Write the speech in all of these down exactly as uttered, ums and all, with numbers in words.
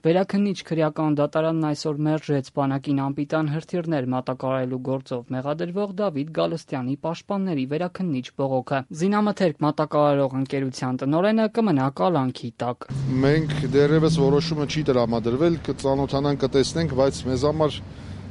Վերաքննիչ քրեական դատարանն այսօր մերժեց բանակին անպիտան հրթիռներ մատակարարելու գործով մեղադրվող Դավիթ Գալստյանի պաշտպանների վերաքննիչ բողոքը։ Զինամթերք մատակարարող ընկերության տնօրենը կմնա կալանքի տակ։ Մենք դեռևս որոշումը չի տրամադրվել, կծանոթանանք, կտեսնենք, բայց մեզ համար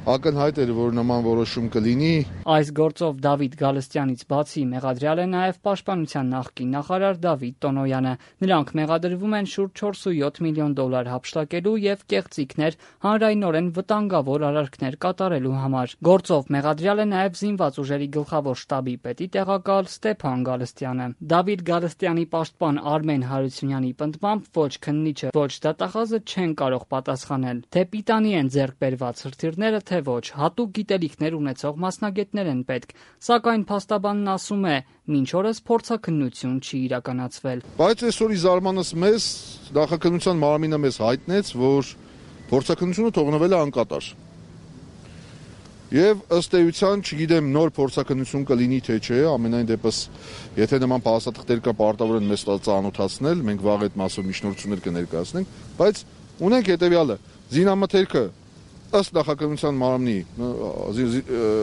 ակնհայտ էր, որ նման որոշում կլինի։ Այս գործով Դավիթ Գալստյանից բացի մեղադրյալ է նաև պաշտպանության նախկին նախարար Դավիթ Տոնոյանը։ Նրանք մեղադրվում են շուրջ չորսունյոթ միլիոն դոլար հափշտակելու եւ կեղծիքներ, հանրայնորեն վտանգավոր արարքներ կատարելու համար։ Գործով մեղադրյալ է նաև զինված ուժերի գլխավոր շտաբի պետի տեղակալ Ստեփան Գալստյանը։ Դավիթ Գալստյանի պաշտպան Արմեն Հարությունյանի պնդմամբ ոչ քննիչը, ոչ դատախազը չեն կարող պատասխանել, թե պիտանի են ձեռք բերված հրթիռները, թե ոչ, հատուկ գիտելիքներ ունեցող մասնագետներ են պետք, սակայն փաստաբանն ասում է, մինչ օրս փորձաքննություն չի իրականացվել։ Բայց այսօրի զարմանս մեզ նախաքննության մարմինը մեզ հայտնեց, որ փորձաքննությունը թողնվել է անկատար։ Եվ ըստ էության, չգիտեմ, նոր փորձաքննություն կլինի թե չէ, ամենայն դեպս, եթե նման փաստաթղթեր կա, պարտավոր են մեզ ծանոթացնել, մենք վաղ այդ մասով միջնորդություններ կներկայացնենք, բայց ունենք հետևյալը, զինամթերքը ըստ նախաքննության մարմնի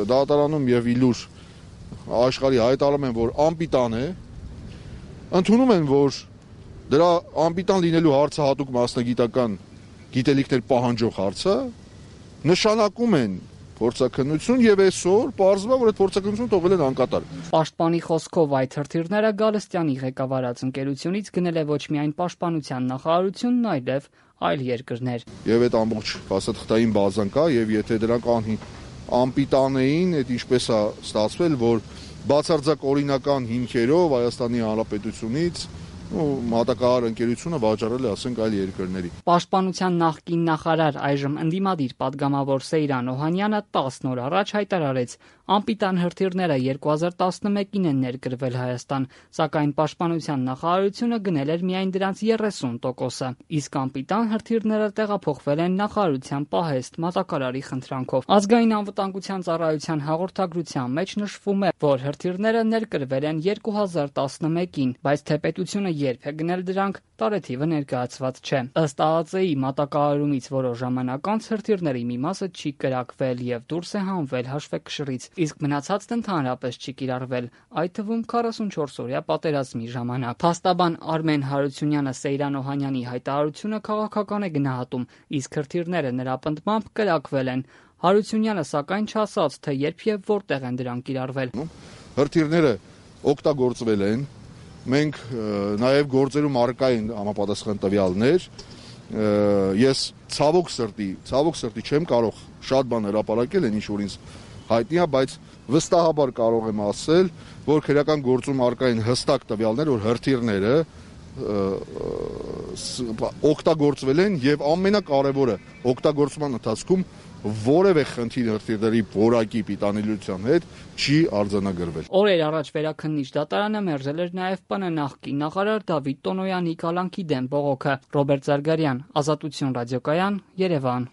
դատարանում եւ իլուր աշխարհի հայտարարում են, որ անպիտան է, ընդունում են, որ դրա անպիտան լինելու հարցը հատուկ մասնագիտական գիտելիքներ պահանջող հարց է, նշանակում են փորձաքննություն եւ այսօր պարզվում է, որ այդ փորձաքննությունը թողել են անկատար։ Պաշտպանի խոսքով այդ հրթիռները Գալստյանի ղեկավարած ընկերությունից գնել է ոչ միայն պաշտպանության նախարարությունն, այլև այլ երկրներ։ Եվ այդ ամբողջ փաստաթղթային բազան կա, եւ եթե դրանք անպիտան էին, այդ ինչպես է ստացվել, որ բացարձակ օրինական հիմքերով Հայաստանի Հանրապետությունից մատակարար ընկերությունը վաճառել է, ասենք, այլ երկրների։ Պաշտպանության նախկին նախարար, այժմ ընդդիմադիր պատգամավոր Սեյրան Օհանյանը տասն օր առաջ հայտարարեց, անպիտան հրթիռները երկու հազար տասնմեկին են ներկրվել Հայաստան, սակայն պաշտպանության նախարարությունը գնել էր միայն դրանց երեսուն տոկոսը, իսկ անպիտան հրթիռները տեղափոխվել են նախարարության պահեստ մատակարարի խնդրանքով։ Ազգային անվտանգության ծառայության հաղորդագրության մեջ նշվում է, որ հրթիռները ներկրվել են երկու հազար տասնմեկին, բայց թե պետությունը երբ է գնել դրանք, տարեթիվը ներկայացված չէ։ Ըստ ԱԱԾ-ի մատակարարումից որոշ ժամանակ անց հրթիռների մի մասը չի կրակվել եւ դուրս է հանվել հաշվեկշռից, իսկ մնացածն ընդհանրապես չի կիրառվել, այդ թվում քառասունչորս օրյա պատերազմի ժամանակ։ Փաստաբան Արմեն Հարությունյանը Սեյրան Օհանյանի հայտարարությունը քաղաքական է գնահատում, իսկ հրթիռները նրա պնդմամբ կրակվել են։ Հարությունյանը սակայն չասաց, թե երբ եւ որտեղ են դրանք կիրառվել։ Հրթիռները օգտագործվել են, մենք նաև գործերում առկա են համապատասխան տվյալներ, ես ցավոք սրտի, ցավոք սրտի չեմ կարող շատ բան հրապարակել, այն ինչ որ ինձ հայտնի է, բայց վստահաբար կարող եմ ասել, որ քրեական գործում առկա են հստակ տվյալներ, որ հրթիռները օգտագործվել են եւ ամենակարևորը օգտագործման ընթացքում որևէ խնդիր հրթիռների որակի պիտանելիության հետ չի արձանագրվել։ Օրեր առաջ վերաքննիչ դատարանը մերժել էր նաև ՊՆ նախկին նախարար Դավիթ Տոնոյանի կալանքի դեմ բողոքը։ Ռոբերտ Զարգարյան, Ազատություն ռադիոկայան, Երևան։